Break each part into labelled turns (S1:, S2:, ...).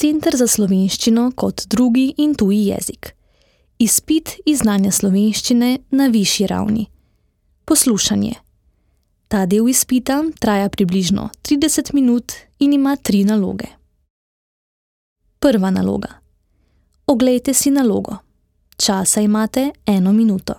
S1: Center za slovenščino kot drugi in tuji jezik. Izpit iz znanja slovenščine na višji ravni. Poslušanje. Ta del izpita traja približno 30 minut in ima 3 naloge. Prva naloga. Oglejte si nalogo. Časa imate 1 minuto.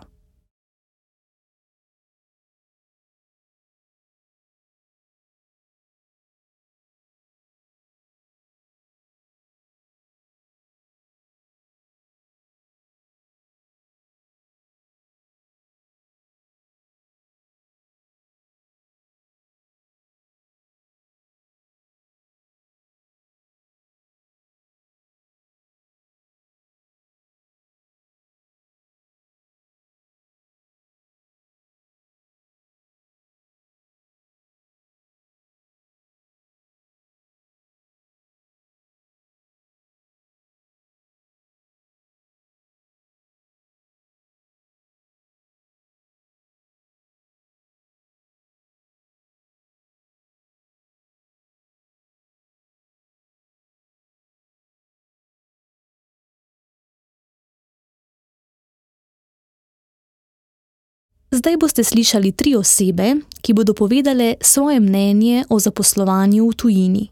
S1: Zdaj boste slišali 3 osebe, ki bodo povedale svoje mnenje o zaposlovanju v tujini.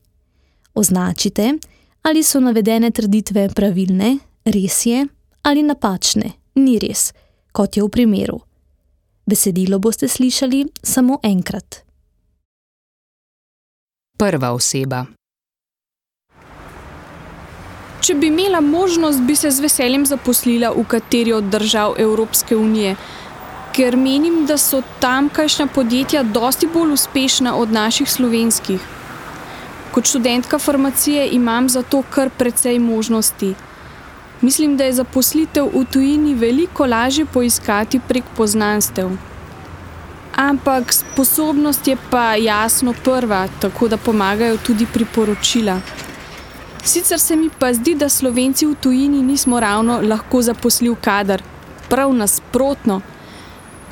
S1: Označite, ali so navedene trditve pravilne, res je, ali napačne, ni res, kot je v primeru. Besedilo boste slišali samo enkrat.
S2: Prva oseba.
S3: Če bi imela možnost, bi se z veseljem zaposlila v kateri od držav Evropske unije, ker menim, da so tamkajšnja podjetja dosti bolj uspešna od naših slovenskih. Kot študentka farmacije imam zato kar precej možnosti. Mislim, da je zaposlitev v tujini veliko lažje poiskati prek poznanstev. Ampak sposobnost je pa jasno prva, tako da pomagajo tudi priporočila. Sicer se mi pa zdi, da Slovenci v tujini nismo ravno lahko zaposljiv kader, prav nasprotno.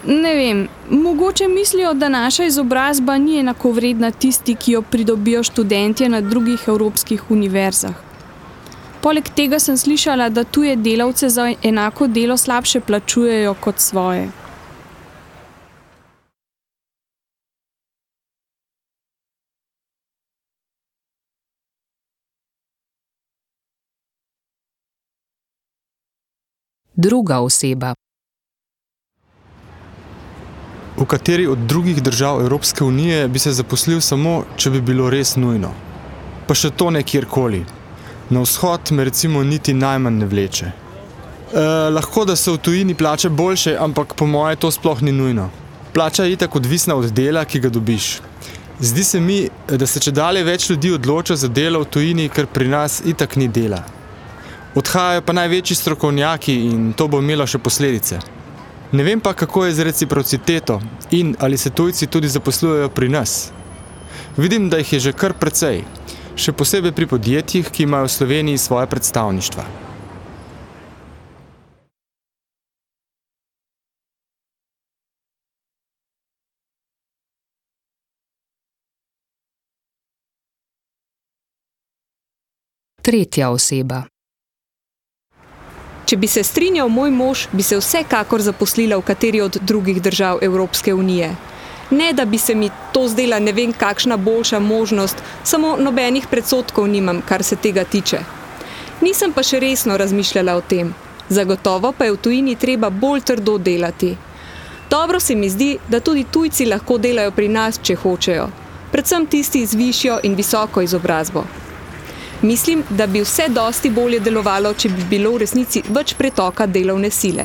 S3: Ne vem, mogoče mislijo, da naša izobrazba ni enakovredna tisti, ki jo pridobijo študentje na drugih evropskih univerzah. Poleg tega sem slišala, da tuje delavce za enako delo slabše plačujejo kot svoje.
S2: Druga oseba.
S4: V kateri od drugih držav Evropske unije bi se zaposlil samo, če bi bilo res nujno. Pa še to ne kjerkoli. Na vzhod me recimo niti najmanj ne vleče. Lahko, da so v tujini plače boljše, ampak po moje to sploh ni nujno. Plača je itak odvisna od dela, ki ga dobiš. Zdi se mi, da se čedalje več ljudi odloča za delo v tujini, ker pri nas itak ni dela. Odhajajo pa največji strokovnjaki in to bo imelo še posledice. Ne vem pa, kako je z reciprociteto in ali se tujci tudi zaposlujejo pri nas. Vidim, da jih je že kar precej, še posebej pri podjetjih, ki imajo v Sloveniji svoje predstavništva.
S2: Tretja oseba.
S5: Če bi se strinjal moj mož, bi se vsekakor zaposlila v kateri od drugih držav Evropske unije. Ne, da bi se mi to zdela ne vem kakšna boljša možnost, samo nobenih predsodkov nimam, kar se tega tiče. Nisem pa še resno razmišljala o tem. Zagotovo pa je v tujini treba bolj trdo delati. Dobro se mi zdi, da tudi tujci lahko delajo pri nas, če hočejo. Predvsem tisti z višjo in visoko izobrazbo. Mislim, da bi vse dosti bolje delovalo, če bi bilo v resnici več pretoka delovne sile.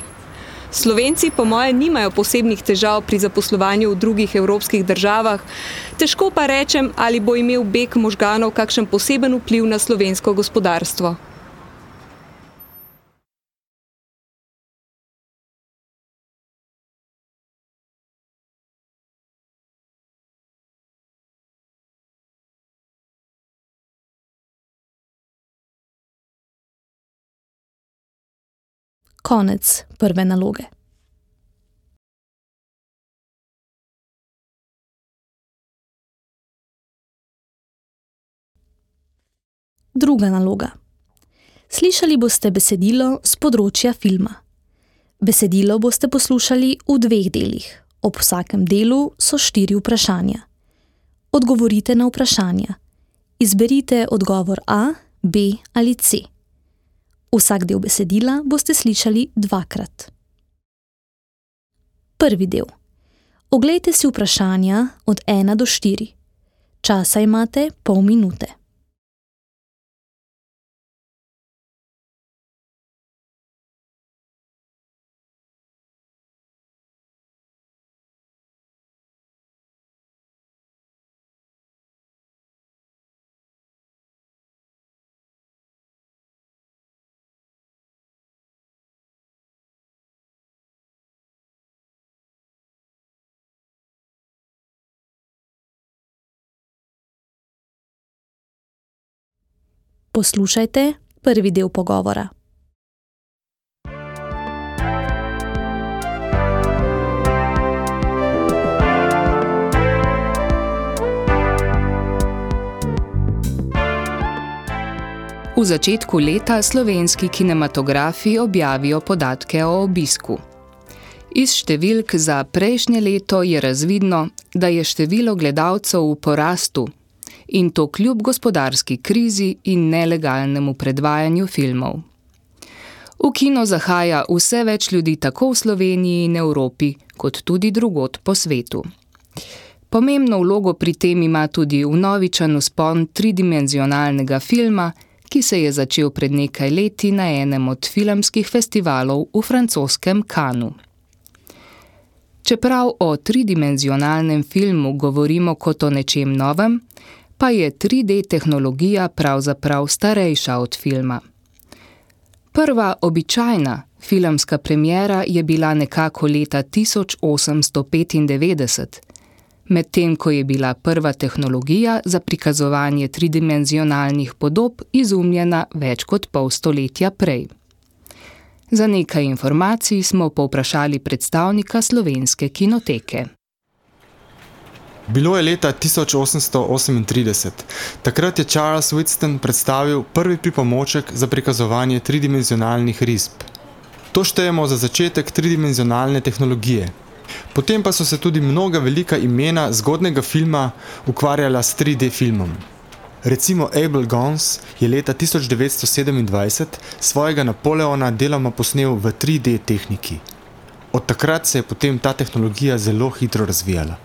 S5: Slovenci po moje nimajo posebnih težav pri zaposlovanju v drugih evropskih državah, težko pa rečem, ali bo imel beg možganov kakšen poseben vpliv na slovensko gospodarstvo.
S1: Konec prve naloge. Druga naloga. Slišali boste besedilo z področja filma. Besedilo boste poslušali v 2 delih. Ob vsakem delu so 4 vprašanja. Odgovorite na vprašanja. Izberite odgovor A, B ali C. Vsak del besedila boste slišali 2-krat. Prvi del. Oglejte si vprašanja od 1 do 4. Časa imate pol minute. Poslušajte prvi del pogovora.
S2: V začetku leta slovenski kinematografi objavijo podatke o obisku. Iz številk za prejšnje leto je razvidno, da je število gledalcev v porastu, in to kljub gospodarski krizi in nelegalnemu predvajanju filmov. V kino zahaja vse več ljudi tako v Sloveniji in Evropi, kot tudi drugod po svetu. Pomembno vlogo pri tem ima tudi vnovičen vzpon tridimenzionalnega filma, ki se je začel pred nekaj leti na enem od filmskih festivalov v francoskem Cannesu. Čeprav o tridimenzionalnem filmu govorimo kot o nečem novem, pa je 3D tehnologija pravzaprav starejša od filma. Prva običajna filmska premiera je bila nekako leta 1895, medtem ko je bila prva tehnologija za prikazovanje tridimenzionalnih podob izumljena več kot pol stoletja prej. Za nekaj informacij smo povprašali predstavnika Slovenske kinoteke.
S4: Bilo je leta 1838. Takrat je Charles Whiston predstavil prvi pripomoček za prikazovanje tridimenzionalnih risb. To štejemo za začetek tridimenzionalne tehnologije. Potem pa so se tudi mnoga velika imena zgodnega filma ukvarjala s 3D filmom. Recimo Abel Gance je leta 1927 svojega Napoleona deloma posnel v 3D tehniki. Od takrat se je potem ta tehnologija zelo hitro razvijala.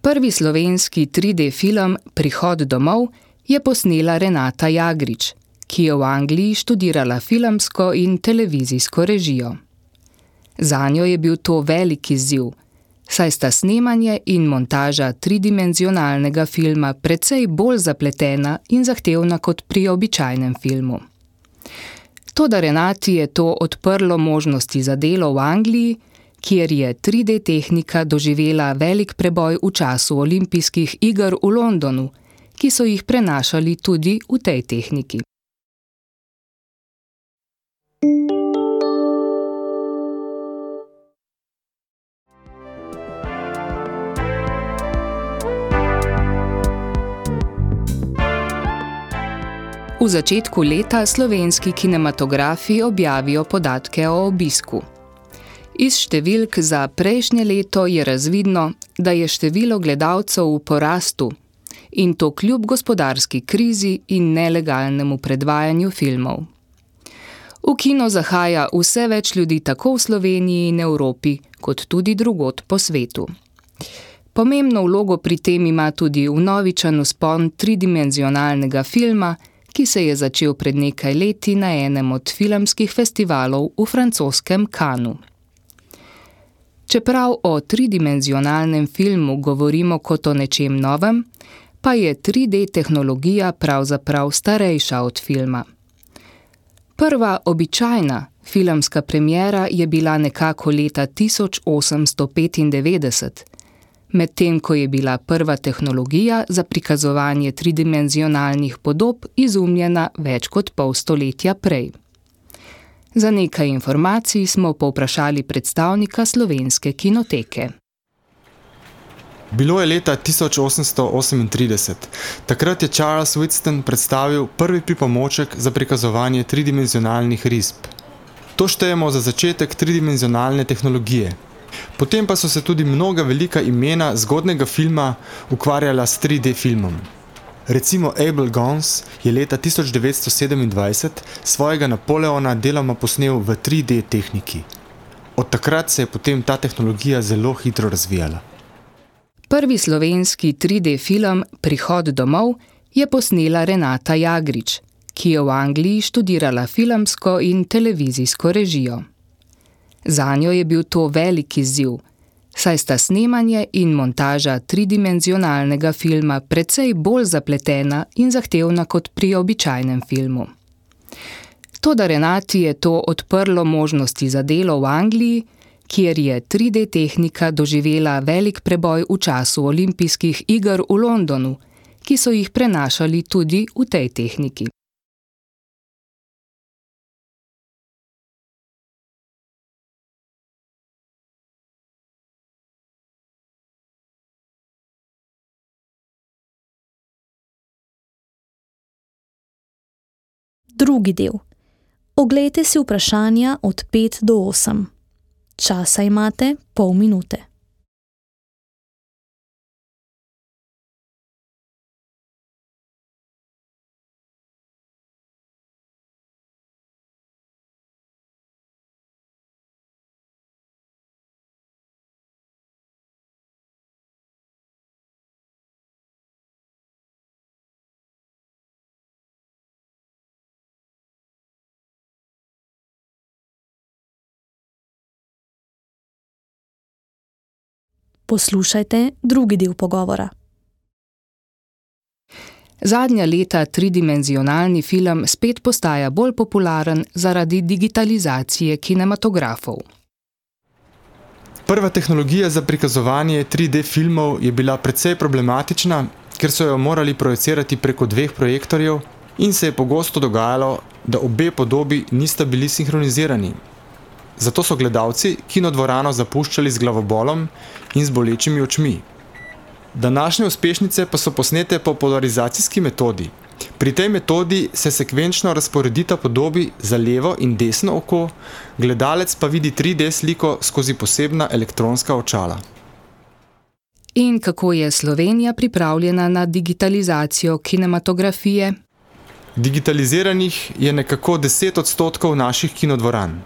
S2: Prvi slovenski 3D film Prihod domov je posnela Renata Jagrič, ki je v Angliji študirala filmsko in televizijsko režijo. Zanjo je bil to velik izziv, saj sta snemanje in montaža tridimenzionalnega filma precej bolj zapletena in zahtevna kot pri običajnem filmu. Toda Renati je to odprlo možnosti za delo v Angliji, kjer je 3D tehnika doživela velik preboj v času olimpijskih iger v Londonu, ki so jih prenašali tudi v tej tehniki. V začetku leta slovenski kinematografi objavijo podatke o obisku. Iz številk za prejšnje leto je razvidno, da je število gledalcev v porastu, in to kljub gospodarski krizi in nelegalnemu predvajanju filmov. V kino zahaja vse več ljudi tako v Sloveniji in Evropi, kot tudi drugod po svetu. Pomembno vlogo pri tem ima tudi vnovičen vzpon tridimenzionalnega filma, ki se je začel pred nekaj leti na enem od filmskih festivalov v francoskem Cannesu. Čeprav o tridimenzionalnem filmu govorimo kot o nečem novem, pa je 3D tehnologija pravzaprav starejša od filma. Prva običajna filmska premiera je bila nekako leta 1895, medtem ko je bila prva tehnologija za prikazovanje tridimenzionalnih podob izumljena več kot pol stoletja prej. Za nekaj informacij smo povprašali predstavnika Slovenske kinoteke.
S4: Bilo je leta 1838. Takrat je Charles Whiston predstavil prvi pripomoček za prikazovanje tridimenzionalnih risb. To štejemo za začetek tridimenzionalne tehnologije. Potem pa so se tudi mnoga velika imena zgodnega filma ukvarjala s 3D filmom. Recimo Abel Gance je leta 1927 svojega Napoleona deloma posnel v 3D tehniki. Od takrat se je potem ta tehnologija zelo hitro razvijala.
S2: Prvi slovenski 3D film Prihod domov je posnela Renata Jagrič, ki je v Angliji študirala filmsko in televizijsko režijo. Zanjo je bil to velik izziv, saj sta snemanje in montaža tridimenzionalnega filma precej bolj zapletena in zahtevna kot pri običajnem filmu. Toda Renati je to odprlo možnosti za delo v Angliji, kjer je 3D tehnika doživela velik preboj v času olimpijskih iger v Londonu, ki so jih prenašali tudi v tej tehniki.
S1: Drugi del. Oglejte si vprašanja od 5 do 8. Časa imate pol minute. Poslušajte drugi del pogovora.
S2: Zadnja leta tridimenzionalni film spet postaja bolj popularen zaradi digitalizacije kinematografov.
S4: Prva tehnologija za prikazovanje 3D filmov je bila precej problematična, ker so jo morali projicirati preko 2 projektorjev in se je pogosto dogajalo, da obe podobi nista bili sinhronizirani. Zato so gledalci kinodvorano zapuščali z glavobolom in z bolečimi očmi. Današnje uspešnice pa so posnete po polarizacijski metodi. Pri tej metodi se sekvenčno razporedita podobi za levo in desno oko, gledalec pa vidi 3D sliko skozi posebna elektronska očala.
S2: In kako je Slovenija pripravljena na digitalizacijo kinematografije?
S4: Digitaliziranih je nekako 10% naših kinodvoran.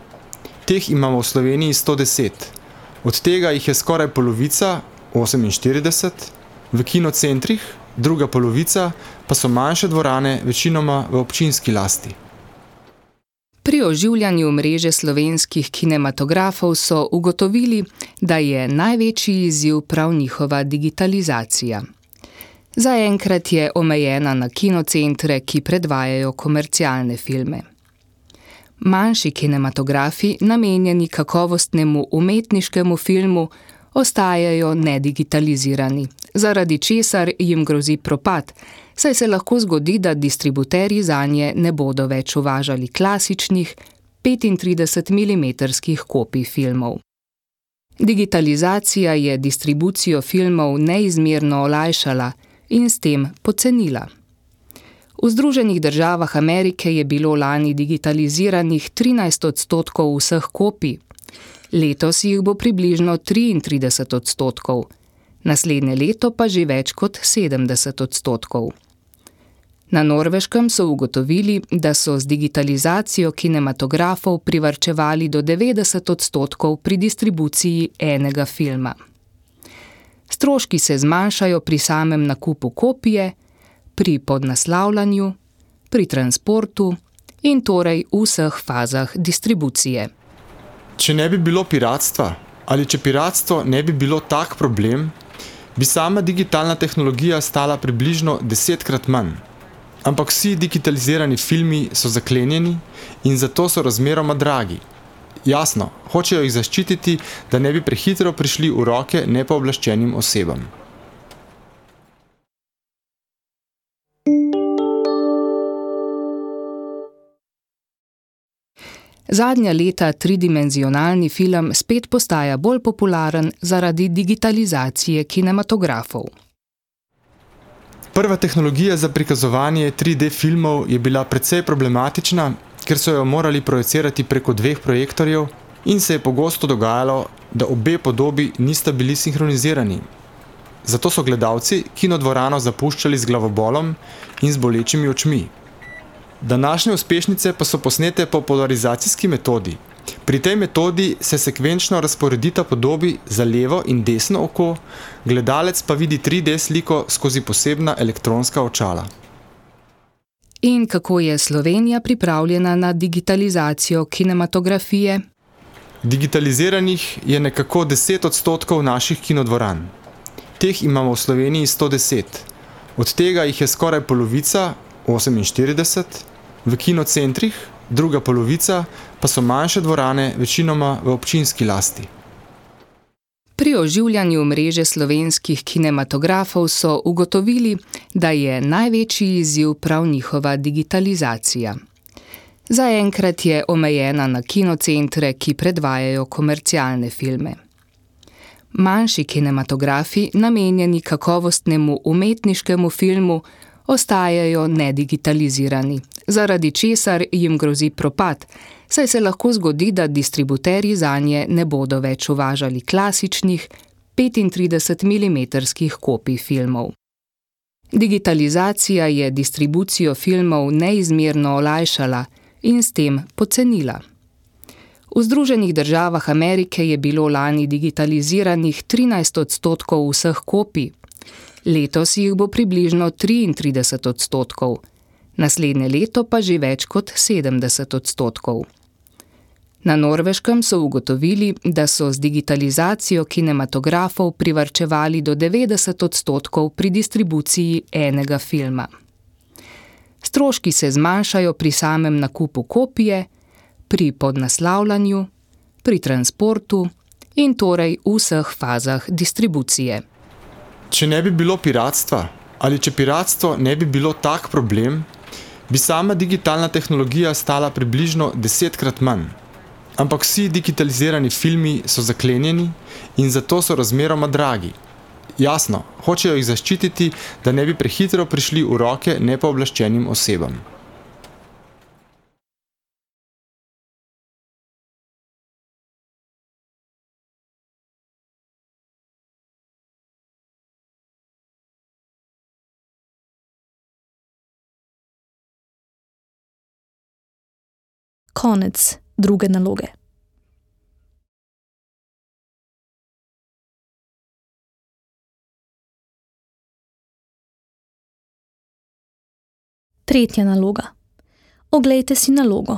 S4: Teh imamo v Sloveniji 110. Od tega jih je skoraj polovica, 48, v kinocentrih, druga polovica pa so manjše dvorane, večinoma v občinski lasti.
S2: Pri oživljanju mreže slovenskih kinematografov so ugotovili, da je največji izziv prav njihova digitalizacija. Zaenkrat je omejena na kinocentre, ki predvajajo komercialne filme. Manjši kinematografi, namenjeni kakovostnemu umetniškemu filmu, ostajajo nedigitalizirani, zaradi česar jim grozi propad, saj se lahko zgodi, da distributerji zanje ne bodo več uvažali klasičnih 35 mm kopij filmov. Digitalizacija je distribucijo filmov neizmerno olajšala in s tem pocenila. V Združenih državah Amerike je bilo lani digitaliziranih 13% vseh kopij. Letos jih bo približno 33%, naslednje leto pa že več kot 70%. Na Norveškem so ugotovili, da so z digitalizacijo kinematografov privarčevali do 90% pri distribuciji enega filma. Stroški se zmanjšajo pri samem nakupu kopije, pri podnaslavljanju, pri transportu in torej v vseh fazah distribucije.
S4: Če ne bi bilo piratstva, ali če piratstvo ne bi bilo tak problem, bi sama digitalna tehnologija stala približno 10-krat manj. Ampak vsi digitalizirani filmi so zaklenjeni in zato so razmeroma dragi. Jasno, hočejo jih zaščititi, da ne bi prehitro prišli v roke nepooblaščenim osebam.
S2: Zadnja leta tridimenzionalni film spet postaja bolj popularen zaradi digitalizacije kinematografov.
S4: Prva tehnologija za prikazovanje 3D filmov je bila precej problematična, ker so jo morali projicirati preko 2 projektorjev in se je pogosto dogajalo, da obe podobi nista bili sinhronizirani. Zato so gledalci kinodvorano zapuščali z glavobolom in z bolečimi očmi. Današnje uspešnice pa so posnete po polarizacijski metodi. Pri tej metodi se sekvenčno razporedita podobi za levo in desno oko, gledalec pa vidi 3D sliko skozi posebna elektronska očala.
S2: In kako je Slovenija pripravljena na digitalizacijo kinematografije?
S4: Digitaliziranih je nekako 10% naših kinodvoran. Teh imamo v Sloveniji 110. Od tega jih je skoraj polovica, 48, v kinocentrih, druga polovica pa so manjše dvorane, večinoma v občinski lasti.
S2: Pri oživljanju mreže slovenskih kinematografov so ugotovili, da je največji izziv prav njihova digitalizacija. Zaenkrat je omejena na kinocentre, ki predvajajo komercialne filme. Manjši kinematografi, namenjeni kakovostnemu umetniškemu filmu, ostajajo nedigitalizirani, zaradi česar jim grozi propad, saj se lahko zgodi, da distributerji zanje ne bodo več uvažali klasičnih 35 mm kopij filmov. Digitalizacija je distribucijo filmov neizmerno olajšala in s tem pocenila. V Združenih državah Amerike je bilo lani digitaliziranih 13% vseh kopij, letos jih bo približno 33%, naslednje leto pa že več kot 70%. Na Norveškem so ugotovili, da so z digitalizacijo kinematografov privarčevali do 90% pri distribuciji enega filma. Stroški se zmanjšajo pri samem nakupu kopije, pri podnaslavljanju, pri transportu in torej v vseh fazah distribucije.
S4: Če ne bi bilo piratstva, ali če piratstvo ne bi bilo tak problem, bi sama digitalna tehnologija stala približno 10-krat manj. Ampak vsi digitalizirani filmi so zaklenjeni in zato so razmeroma dragi. Jasno, hočejo jih zaščititi, da ne bi prehitro prišli v roke nepooblaščenim osebam.
S1: Konec druge naloge. Tretja naloga. Oglejte si nalogo.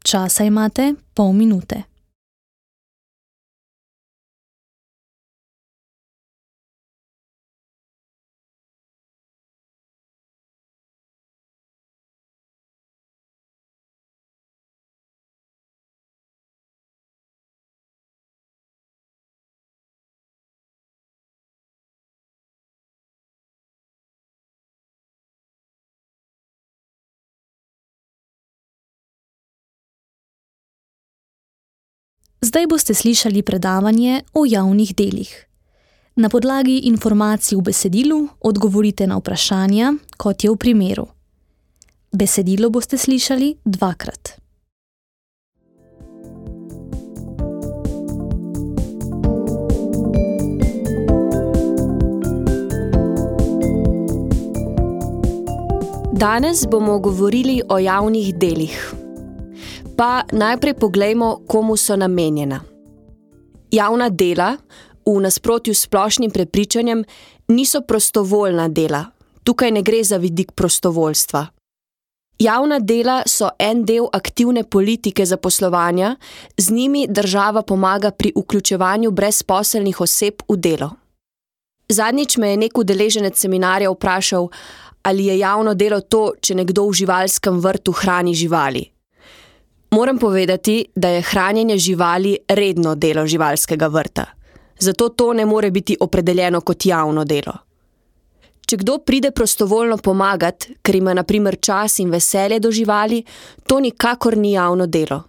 S1: Časa imate pol minute. Zdaj boste slišali predavanje o javnih delih. Na podlagi informacij v besedilu odgovorite na vprašanja, kot je v primeru. Besedilo boste slišali 2-krat.
S6: Danes bomo govorili o javnih delih. Pa najprej poglejmo, komu so namenjena. Javna dela, v nasprotju s splošnim prepričanjem, niso prostovoljna dela. Tukaj ne gre za vidik prostovoljstva. Javna dela so en del aktivne politike zaposlovanja, z njimi država pomaga pri vključevanju brezposelnih oseb v delo. Zadnjič me je nek udeleženec seminarja vprašal, ali je javno delo to, če nekdo v živalskem vrtu hrani živali. Moram povedati, da je hranjenje živali redno delo živalskega vrta. Zato to ne more biti opredeljeno kot javno delo. Če kdo pride prostovoljno pomagati, ker ima na primer čas in veselje do živali, to nikakor ni javno delo.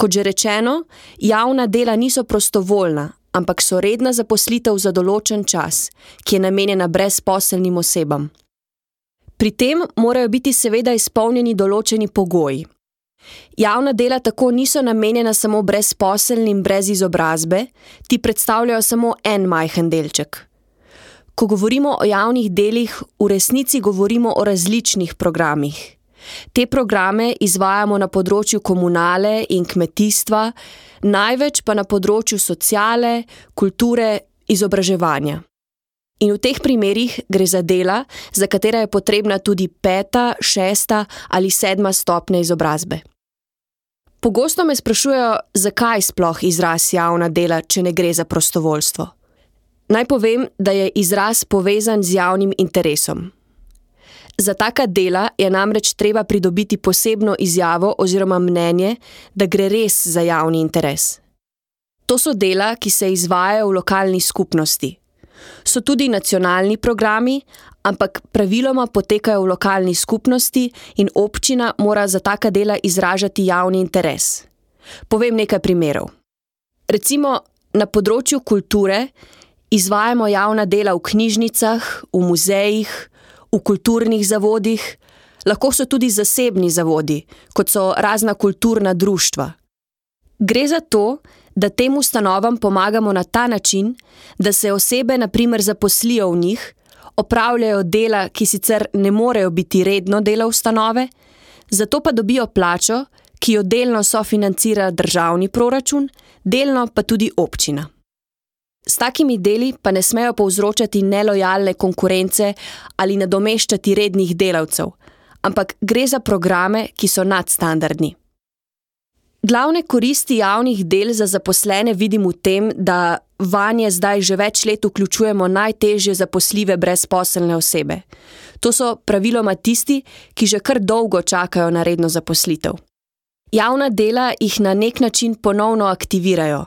S6: Kot že rečeno, javna dela niso prostovoljna, ampak so redna zaposlitev za določen čas, ki je namenjena brezposelnim osebam. Pri tem morajo biti seveda izpolnjeni določeni pogoji. Javna dela tako niso namenjena samo brezposelnim brez izobrazbe, ti predstavljajo samo en majhen delček. Ko govorimo o javnih delih, v resnici govorimo o različnih programih. Te programe izvajamo na področju komunale in kmetijstva, največ pa na področju sociale, kulture, izobraževanja. In v teh primerih gre za dela, za katera je potrebna tudi 5., 6. ali 7. stopnja izobrazbe. Pogosto me sprašujejo, zakaj sploh izraz javna dela, če ne gre za prostovoljstvo. Naj povem, da je izraz povezan z javnim interesom. Za taka dela je namreč treba pridobiti posebno izjavo oziroma mnenje, da gre res za javni interes. To so dela, ki se izvajajo v lokalni skupnosti. So tudi nacionalni programi, ampak praviloma potekajo v lokalni skupnosti in občina mora za taka dela izražati javni interes. Povem nekaj primerov. Recimo, na področju kulture izvajamo javna dela v knjižnicah, v muzejih, v kulturnih zavodih, lahko so tudi zasebni zavodi, kot so razna kulturna društva. Gre za to, da tem ustanovam pomagamo na ta način, da se osebe na primer zaposlijo v njih, opravljajo dela, ki sicer ne morejo biti redno delo ustanove, zato pa dobijo plačo, ki jo delno sofinancira državni proračun, delno pa tudi občina. S takimi deli pa ne smejo povzročati nelojalne konkurence ali nadomeščati rednih delavcev, ampak gre za programe, ki so nadstandardni. Glavne koristi javnih del za zaposlene vidim v tem, da vanje zdaj že več let vključujemo najtežje zaposljive brezposelne osebe. To so praviloma tisti, ki že kar dolgo čakajo na redno zaposlitev. Javna dela jih na nek način ponovno aktivirajo,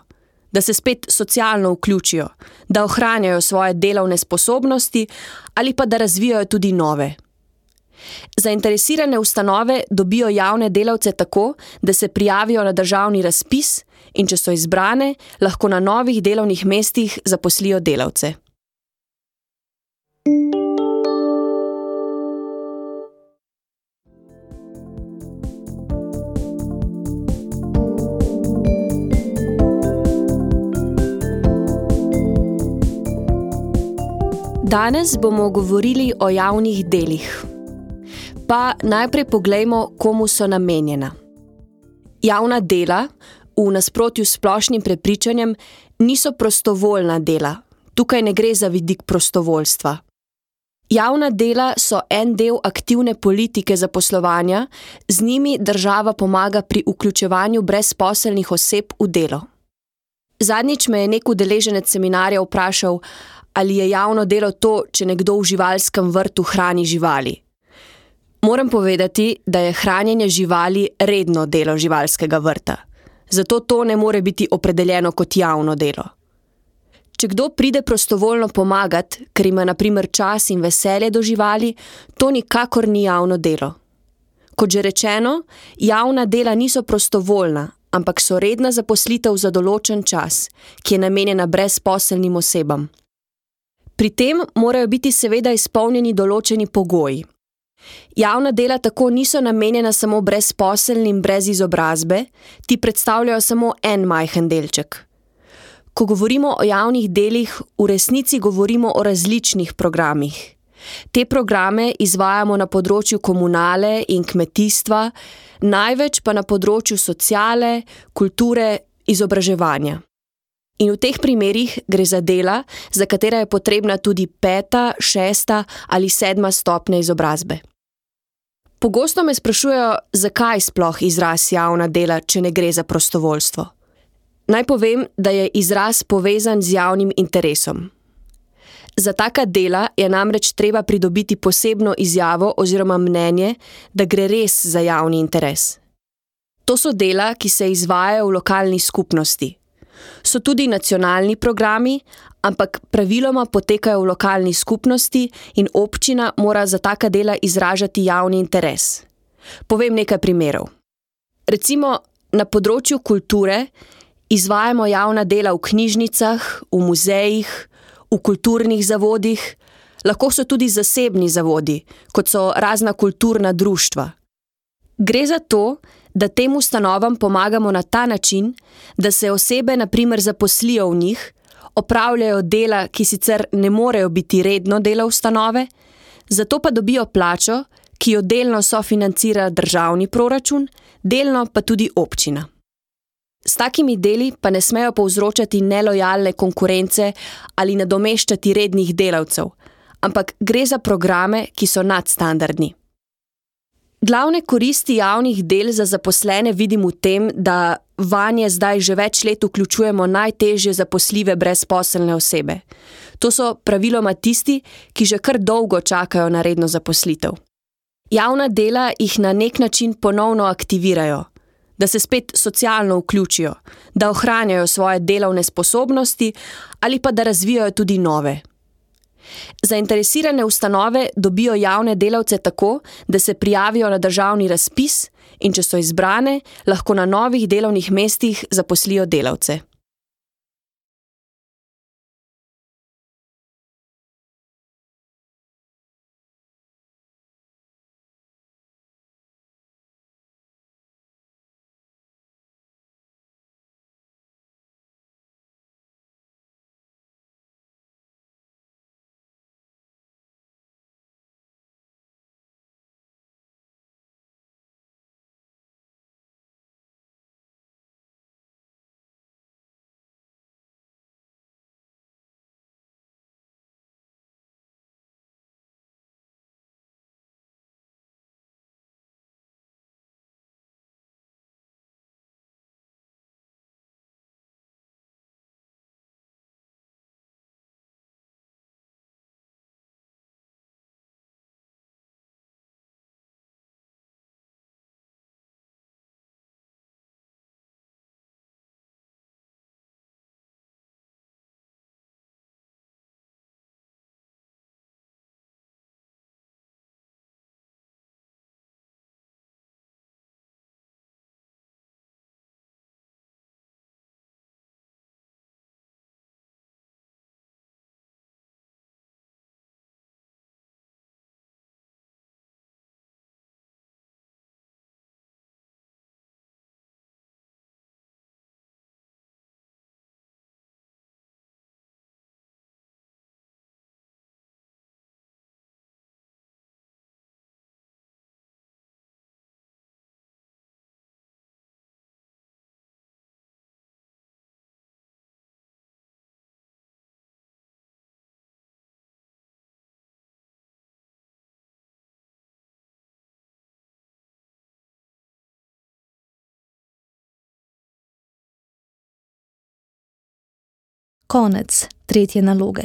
S6: da se spet socialno vključijo, da ohranjajo svoje delovne sposobnosti ali pa da razvijajo tudi nove. Zainteresirane ustanove dobijo javne delavce tako, da se prijavijo na državni razpis in če so izbrane, lahko na novih delovnih mestih zaposlijo delavce. Danes bomo govorili o javnih delih. Pa najprej poglejmo, komu so namenjena. Javna dela, v nasprotju s splošnim prepričanjem, niso prostovoljna dela. Tukaj ne gre za vidik prostovoljstva. Javna dela so en del aktivne politike zaposlovanja, z njimi država pomaga pri vključevanju brezposelnih oseb v delo. Zadnjič me je nek udeleženec seminarja vprašal, ali je javno delo to, če nekdo v živalskem vrtu hrani živali. Moram povedati, da je hranjenje živali redno delo živalskega vrta. Zato to ne more biti opredeljeno kot javno delo. Če kdo pride prostovoljno pomagat, ker ima na primer čas in veselje do živali, to nikakor ni javno delo. Kot že rečeno, javna dela niso prostovoljna, ampak so redna zaposlitev za določen čas, ki je namenjena brezposelnim osebam. Pri tem morajo biti seveda izpolnjeni določeni pogoji. Javna dela tako niso namenjena samo brezposelnim brez izobrazbe, ti predstavljajo samo en majhen delček. Ko govorimo o javnih delih, v resnici govorimo o različnih programih. Te programe izvajamo na področju komunale in kmetijstva, največ pa na področju sociale, kulture, izobraževanja. In v teh primerih gre za dela, za katera je potrebna tudi 5., 6. ali 7. stopnja izobrazbe. Pogosto me sprašujejo, zakaj sploh izraz javna dela, če ne gre za prostovoljstvo. Naj povem, da je izraz povezan z javnim interesom. Za taka dela je namreč treba pridobiti posebno izjavo oziroma mnenje, da gre res za javni interes. To so dela, ki se izvajajo v lokalni skupnosti. So tudi nacionalni programi, ampak praviloma potekajo v lokalni skupnosti in občina mora za taka dela izražati javni interes. Povem nekaj primerov. Recimo, na področju kulture izvajamo javna dela v knjižnicah, v muzejih, v kulturnih zavodih, lahko so tudi zasebni zavodi, kot so razna kulturna društva. Gre za to, da tem ustanovam pomagamo na ta način, da se osebe na primer zaposlijo v njih, opravljajo dela, ki sicer ne morejo biti redno delo ustanove, zato pa dobijo plačo, ki jo delno sofinancira državni proračun, delno pa tudi občina. S takimi deli pa ne smejo povzročati nelojalne konkurence ali nadomeščati rednih delavcev, ampak gre za programe, ki so nadstandardni. Glavne koristi javnih del za zaposlene vidim v tem, da vanje zdaj že več let vključujemo najtežje zaposljive brezposelne osebe. To so praviloma tisti, ki že kar dolgo čakajo na redno zaposlitev. Javna dela jih na nek način ponovno aktivirajo, da se spet socialno vključijo, da ohranjajo svoje delovne sposobnosti ali pa da razvijajo tudi nove. Zainteresirane ustanove dobijo javne delavce tako, da se prijavijo na državni razpis in če so izbrane, lahko na novih delovnih mestih zaposlijo delavce.
S1: Konec 3. naloge.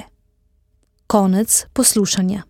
S1: Konec poslušanja.